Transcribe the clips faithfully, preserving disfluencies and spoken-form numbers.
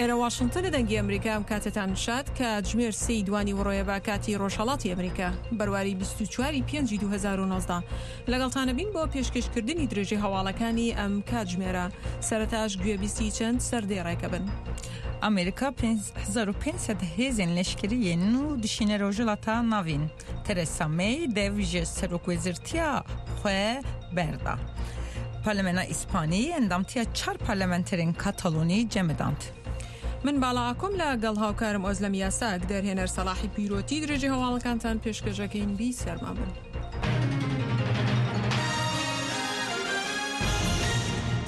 ئێرە واشنگتن دەنگی ئەمریکا. ئەم کاتتان شاد. کاتژمێر سێی دوانی وڕۆیە بە کاتی ڕۆژهەڵاتی ئەمریکا، بەرواری بیست و چوار پێنج دوو هەزار و نۆزدە. لەگەڵتانە بین بۆ پێشکەشکردنی درێژەی هەواڵەکانی ئەم کاتژمێرە. سەرەتاش گوێبیستی چەند سەردێڕێکە بن. ئەمریکا هەزار و پێنج سەد هێزên leşkeriyê nû dişîne Rojhilata Navîn. Theresa May dev ji serokwezîrtiya xwe berda. Parlamena İspanî endamtiya çar parlamenterên Katalonî cemidand. من باڵا ئاکۆم لەگەڵ هاوکارم ئۆزلەم یاساک، دەرهێنەر سەلاحی پیرۆتی. درێژەی هەواڵەکانتان پێشکەشەکەین. بی سەرما بن.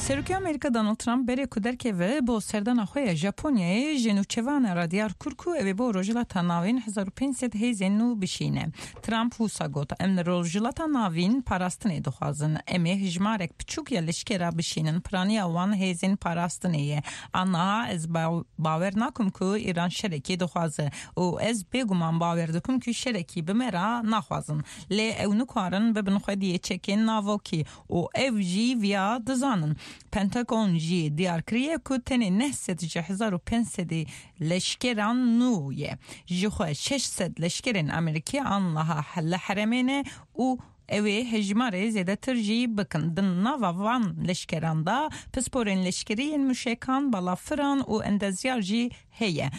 Serokê Amerîka Donald Trump berê ku derkeve bo serdana xwe ya Japonyayê ji nûçevanan re diyar kir ku ew ê bo Rojhilata Navîn hezar û pênc sed hêzên nû bişîne. Trump wisa got: Em li Rojhilata Navîn parastinê dixwazin. Em ê hejmarek piçûk ya leşkera bişînin. Piraniya wan hêzên parastinê ye. Aniha ez bawer nakim ku Îran şerekî dixwaze û ez bêguman bawer dikim ku şerekî bi me re naxwazin. Lê ew nikarin bibin xwediyê çekên navokî û ew jî viya dizanin. Pentagon jî diyar kiriye ku tenê neh sed ji hezar û pênc sedê leşkeran nû ye. Ji xwe şeş sed leşkerên Amerîkî aniha li herêmê ne û ew ê hejmarê zêdetir jî bikin. Di nava van leşkeran da pisporên leşkerî yên mûşekan, balafiran û endezyar jî heye.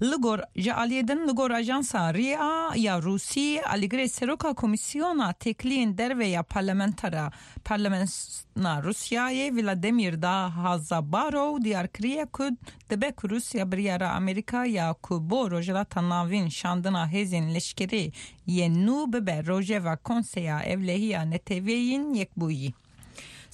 Li gor ji aliyê din li gor ajansa R I A ya Rûsî alîgirê seroka Komîsyona Têkiliyên Derve ya Parlamentera Parlamenta Rûsyayê Vladimir Dahazabarov diyar kiriye ku dibe ku Rûsya biryara Amerîka ya ku bo Rojhilata Navîn şandina hêzên leşkerî yên nû bibe rojeva Konseya Ewlehiya Neteweyên Yekbûyî.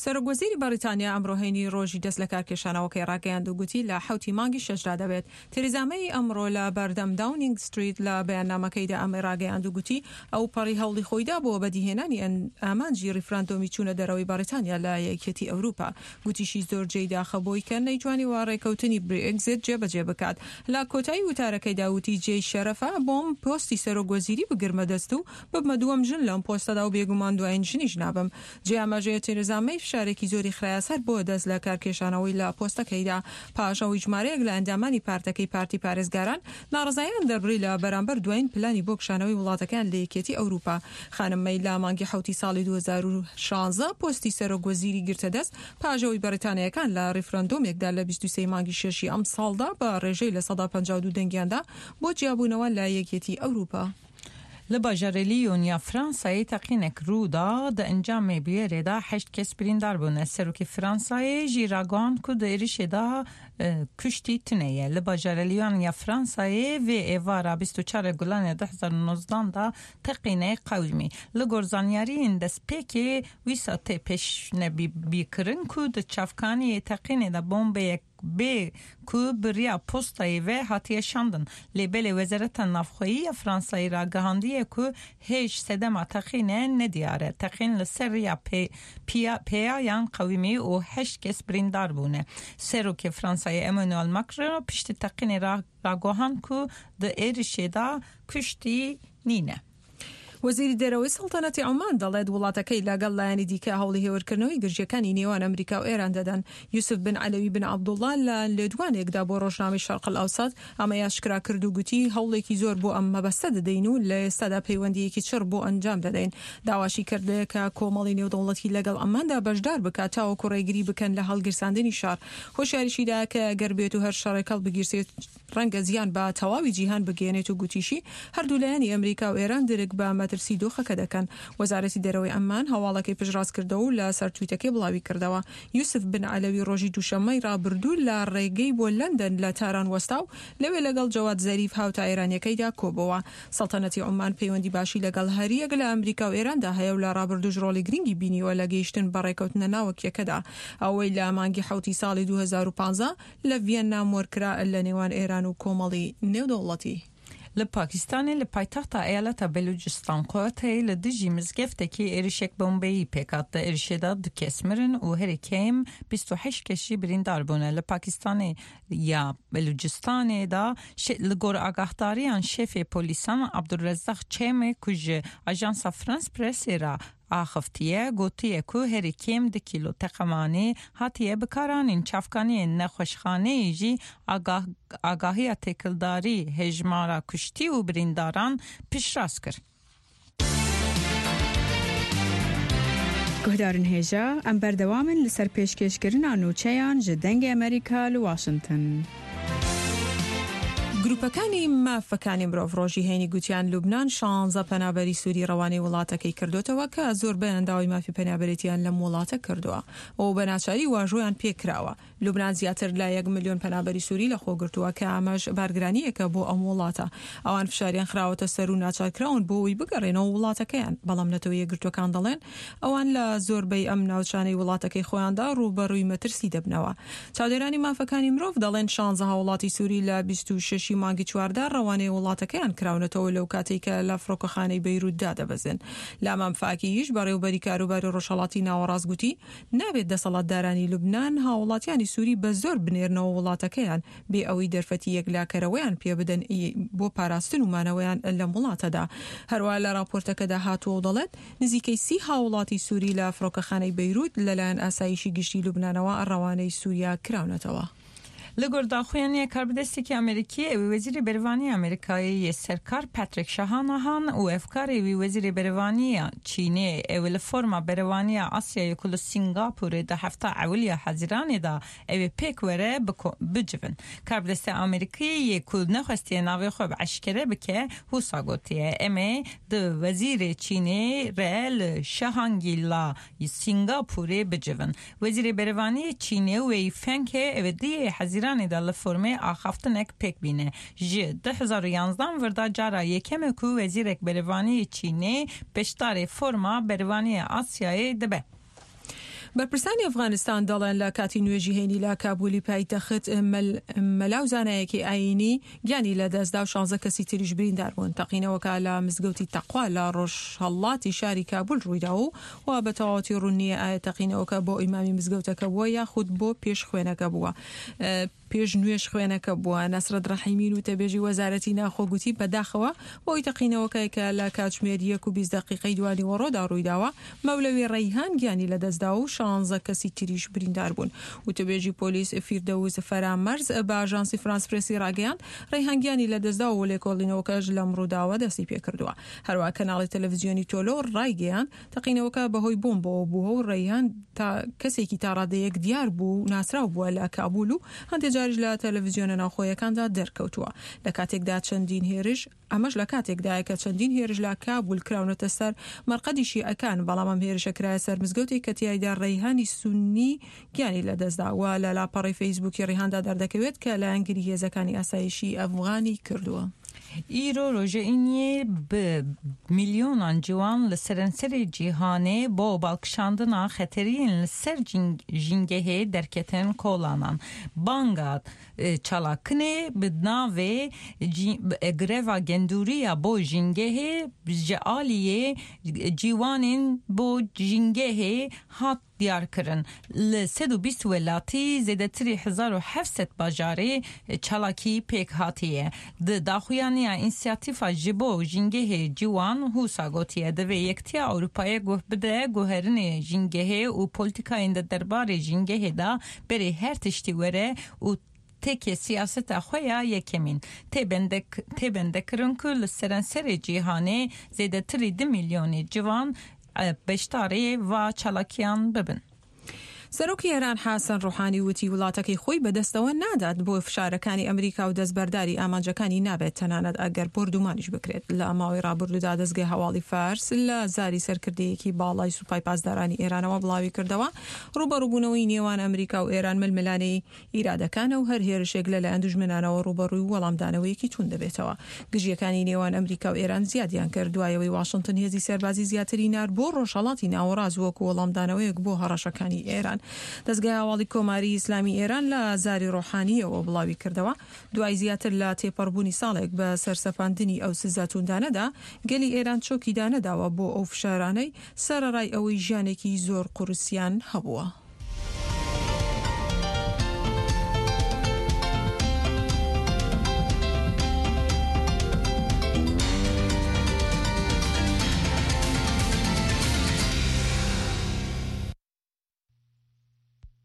سەرۆک وەزیری بەریتانیا ئەمڕۆ هەینی ڕۆژی دەست لە کارکێشانەوەکەی ڕاگەیاند و گوتی لە حەوتی مانگی شەشدا دەبێت. تێریزا مەی ئەمڕۆ لە بەردەم داونینگ ستریت لە بەیاننامەکەیدا ئەمەی ڕاگەیاند و گوتی ئەو پەڕی هەوڵی خۆیدا بۆ بەدیهێنانی ئامانجی ڕیفراندۆمی چوونە دەرەوەی بەریتانیا لە یەکێتی ئەوروپا. گوتیشی زۆر جێی داخە بۆی کە نەیتوانی وا ڕێکەوتنی برێگزیت جێبەجێ بکات. لە کۆتایی وتارەکەیدا وتی جێی شەرەفە بۆم پۆستی سەرۆک وەزیری بگرمە دەست و ببمە دووەم ژن لەم پۆستەدا و بێگومان دوایین ژنیش نابم. جێ ئاماژەیە تێرێزا مەی فشارێکی زۆری خرایە سەر بۆ دەست لە کارکێشانەوەی لە پۆستەکەیدا پاش ئەوەی ژمارەیەک لە ئەندامانی پارتەکەی پارتی پارێزگاران ناڕەزایان دەربڕی لە بەرامبەر دوایین پلانی بۆ کشانەوەی وڵاتەکان لە یەکێتی ئەوروپا. خانم مەی لە مانگی حەوتی ساڵی دوو هەزار و شانزە پۆستی سەرۆک وەزیری گرتە دەست پاش ئەوەی بەریتانیەکان لە ڕیفراندۆمێکدا لە بیست و سێ مانگی شەشی ئەم ساڵدا بە ڕێژەی لە سەدا پەنجا و دوو دەنگیاندا بۆ جیابوونەوە لە یەکێتی ئەوروپا. Li bajarê Lyon ya Fransayê teqînek rû da, di encamê bûyerê de heşt kes birîndar bûne. Serokê Fransayê jî ragihand ku di êrişê de kuştî tune ye. Li bajarê Lyon ya Fransayê vê êvara bîst û çar Gulanê du hezar û nozdan da teqînek qewimî. Li gor zanyariyên destpêkê wisa tê pêşnebîkirin ku di çavkaniyê teqînê de bombeyek bê ku bi riya postayê ve hatiye şandin. Lê belê Wezareta Navxweyî ya Fransayê ragihandiye ku hêj sedema teqînê nediyar e. Teqîn li ser riya pêyayan qewimî û heşt kes birîndar bûne. Serokê Fransayê Emmanuel Macron piştî teqînê ragihand ku di êrişê de kuştî nîne. وەزیری دەرەوەی سەڵتەنەتی عومان دەڵێت وڵاتەکەی لەگەڵ لایەنی دیکە هەوڵی هێورکردنەوەی گرژیەکانی نێوان ئەمریکا و ئێران دەدەن. یوسف بن عەلەوی بن عەبدوڵڵا لە لێدوانێکدا بۆ ڕۆژنامەی شەرق ئەوسەت ئەمەی ئاشکرا کرد و گوتی هەوڵێکی زۆر بۆ ئەم مەبەستە دەدەین و لە ئێستادا پەیوەندیەکی چڕ بۆ ئەنجام دەدەین. داواشی کرد کە کۆمەڵی نێودەوڵەتی لەگەڵ ئەماندا بەشدار بکات تاوەکو ڕێگری بکەن لە هەڵگیرساندنی شار. هۆشیاریشیدا کە ئەگەر بێت و هەر شەڕێک هەڵبگیرسێت ڕەنگە زیان بە تەواوی جیهان بگەیەنێت و گوتیشی هەردوو لایەنی ئەمریکا و ئێران درک بە مەترسی دۆخەکە دەکەن. وەزارەتی دەرەوەی ئەممان هەواڵەکەی پشتڕاست کردەوە و لەسەر تویتەکەی بڵاوی کردەوە. یوسف بن عەلەوی ڕۆژی دووشەممەی ڕابردوو لە ڕێگەی بۆ لەندەن لە تاران وەستا و لەوێ لەگەڵ جەواد زەریف هاوتا ئێرانیەکەیدا کۆبەوە. سەڵتەنەتی عومان پەیوەندی باشی لەگەڵ هەریەک لە ئەمریکا و ئێراندا هەیە و لە ڕابردووش ڕۆڵی گرنگی بینیوە لە گەیشتن بە ڕێکەوتنە ناوەکیەکەدا. ئەوەی لە مانگی حەوتی ساڵی دوو هەزار و پانزە لە ڤیەننا مۆرکرا لە نێوان ئێران و کۆمەڵی نێودەوڵەتی. Li Pakistanê li paytexta eyaleta Belûcistan Quwetê li dijî mizgeftekê êrişek bombeyî pêk hat. Di êrişê de du kes mirin û herî kêm bîst û heşt kes jî birîndar bûne. Li Pakistanê ya Belûcistanê da li gor agahdariyan şefê polîsan Abdulrezzaq Çemê ku ji Ajansa France Pressê re Axiftiye gotiye ku herî kêm du kîlo teqemanê hatiye bikaranîn çavkaniyên nexweşxaneyê jî agahiya têkildarî hejmara kuştî û birîndaran piştrast kir. Guhdarên hêja em berdewam in li ser pêşkêşkirina nûçeyan ji Dengê Amerîka li Washington. گروپەکانی مافەکانی مرۆڤ ڕۆژی هەینی گوتیان لوبناان شانزە پەنابەری سووری ڕەوانەی وڵاتەکەی کردوتەوە کە زۆربەیان داوای مافی پەنابەرێتیان لەم وڵاتە کردووە و بە ناچاری واژۆیان پێکراوە. لوبناان زیاتر لە یەک ملیۆن پەنابەری سووری لەخۆگرتووە کە ئەمەش بارگرانیەکە بۆ ئەم وڵاتە. ئەوان فشاریان خراوەتە سەر و ناچارکراون بۆ ئەوەی بگەڕێنەوە وڵاتەکەیان، بەڵام نەتەوە یەکگرتووەکان دەڵێن ئەوان لە زۆربەی ئەم ناوچانەی وڵاتەکەی خۆیاندا ڕووبەڕووی مەترسی دەبنەوە. چاودێرانی مافەکانی مرۆڤ دەڵێن شانزە هاوڵاتی سووری لە بیست و شەش مانگی چواردا ڕەوانەی وڵاتەکەیان کراونەتەوە لەو کاتێک کە لە فڕۆکەخانەی بەیروتدا دەبەزن. لامام فاکیش بەڕێوبەری کاروباری ڕۆژهەڵاتی ناوەڕاست گوتی نابێت دەسەڵاتدارانی لوبناان هاوڵاتیانی سووری بە زۆر بنێرنەوە وڵاتەکەیان بێ ئەوەی دەرفەتی یەکلاکەرەوەیان پێ بدەن بۆ پاراستن و مانەوەیان لەم وڵاتەدا. هەروە لە راپۆرتەکەدا هاتووە و دەڵێت نزیکەی سی هاوڵاتی سووری لە فڕۆکەخانەی بەیروت لەلایەن ئاسایشی گشتی لوبنانەوە ڕەوانەی سووریا کراونەتەوە. Li gor daxuyaniya karbidestekî Amerîkî ew ê Wezîrê Berevaniya Amerîkayê yê Serkar Patrick Shanahan û efkarê wî Wezîrê Berevaniya Çînê ew li forma Berevaniya Asyayê ku li Singapûrê di hefta ewil ya Hezîranê de ew ê pêk were bicivin. Karbidestê Amerîkî yê ku nexwestiye navê xwe bi eşkere bike wisa gotiye em ê di Wezîrê Çînê re li Shangri-La Singapûrê bicivin. Wezîrê Berevaniyê Çînê Wei Fenghe ew ê diyê Hezîran da li formê axaftinek pêk bîne. Ji du hezar û yanzdan virda cara yekeme ku wezîrek Berevaniyê Çînê beşdarê forma Berevaniyê Asyayê dibe. بەرپرسانی ئەفغانستان دەڵێن لە کاتی نوێژی هەینی لە کابولی پایتەخت مەلا و زانایەکی ئایینی گیانی لەدەستدا و شانزە کەسی تریش بریندار بوون. تەقینەوەکە لە مزگەوتی تەقوا لە ڕۆژهەڵاتی شاری کابول ڕوویداوە و بە تەواوەتی ڕوون نییە ئایا تەقینەوەکە بۆ ئیمامی مزگەوتەکە بووە یاخود بۆ پێش خوێنەکە بووە. پێش نوێژ خوێنەکە بووە. نەسرەت ڕەحیمین و تەبێژی وەزارەتی ناخۆ گوتی بەداخەوە بۆی تەقینەوەکەی کە لە کاتژمێر یەک و بیست دقیقەی دوانیوەڕۆدا ڕوویداوە مەولەوی ڕەیهان گیانی لەدەستدا و شانزە کەسی تریش بریندار بوون. وتەبێژی پۆلیس فیردەوس فەرامەرز بە ئاژانسی فرانس پرێسی ڕاگەیاند ڕەیهان گیانی لەدەستدا و لێکۆڵینەوەکەش لەم ڕووداوە دەستی پێکردووە. هەروەها کەناڵی تەلەڤیزیۆنی تۆلۆ ڕایگەیاند تەقینەوەکە بەهۆی بۆمبەوە بووە و ڕەیهان تا کەسێکی تا ڕادەیەک دیار بوو و ناسراو بووە لە کابول و هەندێک جاریش لە تەلەڤیزیۆنە ناوخۆیەکاندا دەرکەوتووە. لە کاتێکدا چەندین هێرش ئەمەش لە کاتێکدایە کە چەندین هێرش لە کابول کراونەتە سەر مەرقەدی شیعەکان، بەڵام ئەم هێرشە کرایە سەر مزگەوتێک کە تیایدا ڕەیهانی سوننی گیانی لەدەستدا و لە لاپەڕەی فەیسبووکی ڕیهاندا دەردەکەوێت کە لایەنگری هێزەکانی ئاسایشی ئەفغانی کردووە. ئیرۆ ڕۆژە ئینیê bi milyonan ciwan li seranserê cîhanê bo balkişandina xeteriyên li ser jîngehê derketin kolanan. Banga çalakinê bi navê greva gendûriya bo jîngehê ji aliyê ciwanên bo jîngehê hat diyar kirin. Li sed û bîst welatî zêdetirî hezar û heft sed bajarê çalakî pêk hatiye. Di daxuyaniya însiyatîfa ji bo jîngehê ciwan wisa gotiye divê Yekîtiya Ewropayê guh bide guherinê jîngehê û polîtîkayên di derbarê jîngehê de berê her tiştî were û têkê siyaseta xwe ya yekemîn. Tê bendekirin ku li seranserê cîhanê zêdetirî du milyonê ciwan beşdarê va çalakiyan bibin. سەرۆکی ئێران حەسەن ڕۆحانی وتی وڵاتەکەی خۆی بەدەستەوە نادات بۆ فشارەکانی ئەمریکا و دەستبەرداری ئامانجەکانی نابێت تەنانەت ئەگەر بۆردومانیش بکرێت. لە ماوەی ڕابردوودا دەستگای هەواڵی فارس لە زاری سەرکردەیەکی باڵای سوپای پاسدارانی ئێرانەوە بڵاوی کردەوە ڕووبەڕووبوونەوەی نێوان ئەمریکا و ئێران ململانێی ئیرادەکانە و هەر هێرشێک لەلایەن دوژمنانەوە ڕووبەڕووی وەڵامدانەوەیەکی توند دەبێتەوە. گرژییەکانی نێوان ئەمریکا و ئێران زیادیان کرد دوایەوەی واشنگتن هێزی سەربازی زیاتری نارد بۆ ڕۆژهەڵاتی ناوەڕاست وەکو وەڵامدانەوەیەک بۆ هەڕەشەکانی ئێران. دەستگای هەواڵی کۆماری ئیسلامی ئێران لە زاری ڕۆحانیەوە بڵاوی کردەوە دوای زیاتر لە تێپەڕبوونی ساڵێک بە سەرسەپاندنی ئەو سزا توندانەدا گەلی ئێران چۆکی دانەداوە بۆ ئەو فشارانەی سەرەڕای ئەوەی ژیانێکی زۆر قورسیان هەبووە.